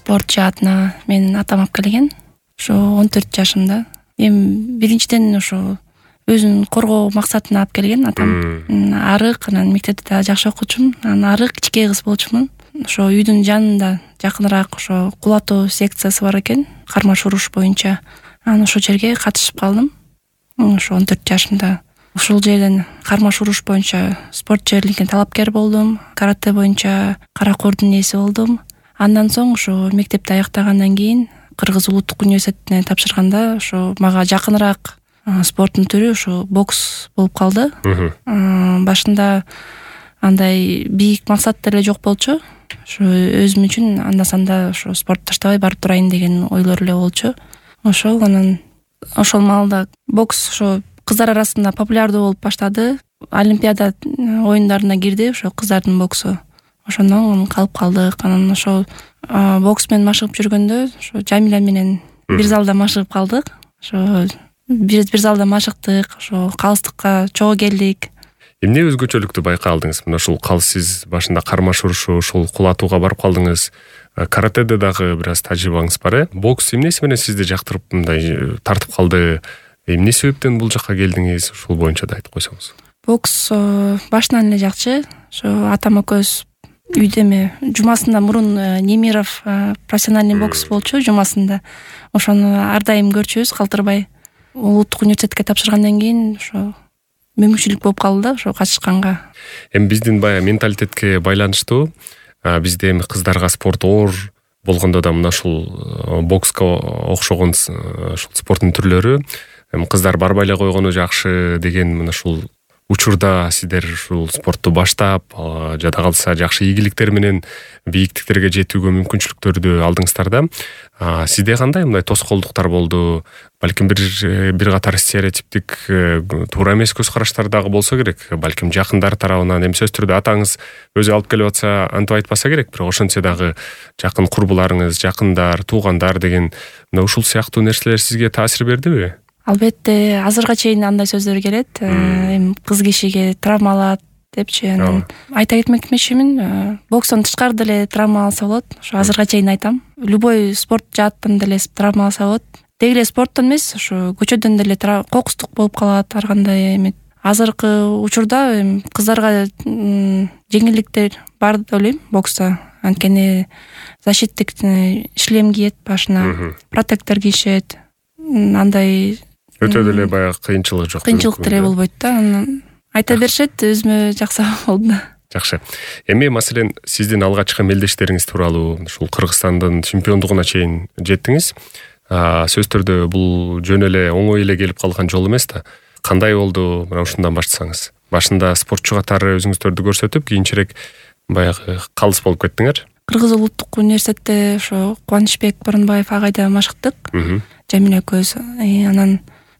спорт жаатына менин атам алып келген. Ошо 14 жашымда. Эми биринчиден ошо өзүн коргоо максатына алып келген атам. Арык, анан мектепте да жакшы окучумун. Анан арык кичкей кыз болчумун. Ошо үйдүн жанында жакыныраак ошо кулатуу секциясы бар экен, кармаш уруш боюнча. Анан ошол жерге катышып калдым. Ошо 14 жашымда. Ушул жерден кармаш уруш боюнча спорт жерликке талапкер болдум. Карате боюнча каракордун ээси болдум. Андан соң ошо мектепти аяктагандан кийин Кыргыз улуттук университетине тапшырганда ошо мага жакыныраак спорттун түрү ошо бокс болуп калды. Башында андай бийик максат деле жок болчу. Ошо өзүм үчүн анда-санда ошо спорт таштабай барып турайын деген ойлор эле болчу. Ошол анан ошол маалда бокс ошо кыздар арасында популярдуу болуп баштады. Олимпиада оюндарына кирди ошо кыздардын боксу. Ошондон калып калдык. Анан ошол бокс менен машыгып жүргөндө ошо Жамиля менен бир залда машыгып калдык. Ошо бир залда машыктык, ошо калыстыкка чогуу келдик. Эмне өзгөчөлүктү байкалдыңыз? Мына ушул сиз башында кармаш урушу, ушул кулатууга барып калдыңыз. Каратеде дагы бир аз тажрыйбаңыз бар, Бокс эмнеси менен сизди жактырып мындай тартып калды? Эмне себептен бул жакка келдиңиз? Ушул боюнча да айтып койсоңуз. Бокс башынан эле жакчы. Ошо атам экөөбүз үйдө эме жумасында мурун Немиров профессиональный бокс болчу жумасында. Ошону ар дайым көрчүбүз калтырбай. Улуттук университетке тапшыргандан кийин ошо мүмкүнчүлүк болуп калды да ошо катышканга. Эми биздин баягы менталитетке байланыштуу. Бизде эми кыздарга спорт оор болгондо да мына ушул бокска окшогон ушул спорттун түрлөрү кыздар барбай эле койгону жакшы деген мына ушул учурда сиздер ушул спортту баштап, жада калса жакшы ийгиликтер менен бийиктиктерге жетүүгө мүмкүнчүлүктөрдү алдыңыздар да. Сизде кандай мындай тоскоолдуктар болду? Балким бир катар стереотиптик туура эмес көз караштар дагы болсо керек. Балким жакындар тарабынан, эми сөзсүз түрдө атаңыз өзү алып келип атса антип айтпаса керек, бирок ошентсе дагы жакын курбуларыңыз, жакындар, туугандар деген мына ушул сыяктуу нерселер сизге таасир бердиби? Албетте, азырга чейин андай сөздөр келет. Эми кыз кишиге травма алат депчи. Анан айта кетмекчимин, бокстон тышкары деле травма алса болот. Ошо азырга чейин айтам. Любой спорт жааттан деле травма алса болот. Деги эле спорттон эмес, ошо көчөдөн деле кокустук болуп калат, ар кандай эме. Азыркы учурда кыздарга жеңилдиктер бар деп ойлойм бокста. Анткени защиттик шлем кийет башына, протектор кийишет. Андай өтө деле баягы кыйынчылык жок. Кыйынчылык деле болбойт да. Айта беришет, өзүмө жакшы болду. Жакшы. Эми маселен сиздин алгачкы мелдештериңиз тууралуу ушул Кыргызстандын чемпиондугуна чейин жеттиңиз. Сөзсүз түрдө бул жөн эле оңой эле келип калган жол эмес да. Кандай болду? Мына ушундан баштасаңыз. Башында спортчу катары өзүңүздөрдү көрсөтүп, кийинчерээк баягы калыс болуп кеттиңер. Кыргыз улуттук университетте ошо Кубанычбек Борунбаев агайда машыктык. Жамиля экөөбүз. Анан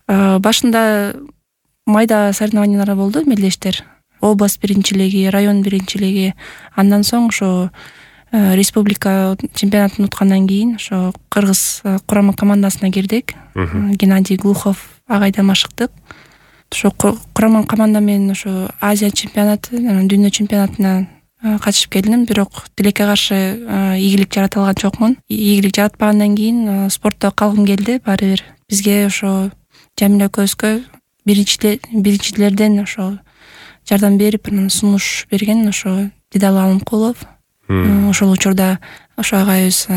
башында майда соревнованиялар болду, мелдештер. Область биринчилиги, район биринчилиги. Андан соң ошо республика чемпионатын уткандан кийин ошо Кыргыз курама командасына кирдик. Геннадий Глухов агайда машыктык. Ошо курама команда менен ошо Азия чемпионаты, дүйнө чемпионатына катышып келдим, бирок тилекке каршы ийгилик жарата алган жокмун. Ийгилик жаратпагандан кийин спортто калгым келди баары бир. Бизге ошо Жамиля экөөбүзгө биринчилерден ошо жардам берип, анан сунуш берген ошо Дидал Алымкулов. Ошол учурда ошо агайыбыз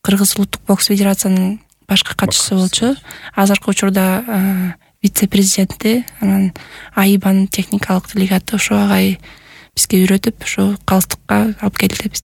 Кыргыз улуттук бокс федерациянын башкы катчысы болчу. Азыркы учурда вице-президенти, анан АИБАнын техникалык делегаты ошо агай бизге үйрөтүп, ошо калыстыкка алып келди биз.